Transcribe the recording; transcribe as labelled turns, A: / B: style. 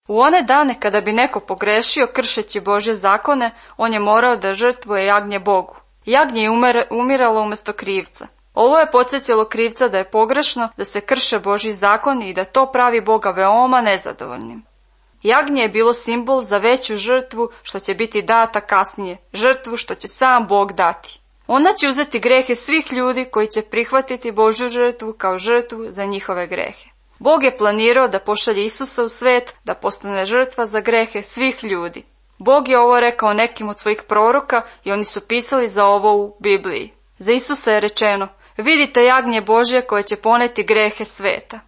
A: U one dane kada bi neko pogrešio kršeći Božje zakone, on je morao da žrtvuje jagnje Bogu. Jagnje je umiralo umjesto krivca. Ovo je podsjetilo krivca da je pogrešno, da se krše Božji zakoni i da to pravi Boga veoma nezadovoljnim. Jagnje je bilo simbol za veću žrtvu što će biti data kasnije, žrtvu što će sam Bog dati. Ona će uzeti grehe svih ljudi koji će prihvatiti Božju žrtvu kao žrtvu za njihove grehe. Bog je planirao da pošalje Isusa u svet, da postane žrtva za grehe svih ljudi. Bog je ovo rekao nekim od svojih proroka i oni su pisali za ovo u Bibliji. Za Isusa je rečeno: vidite jagnje Božje koje će poneti grehe sveta.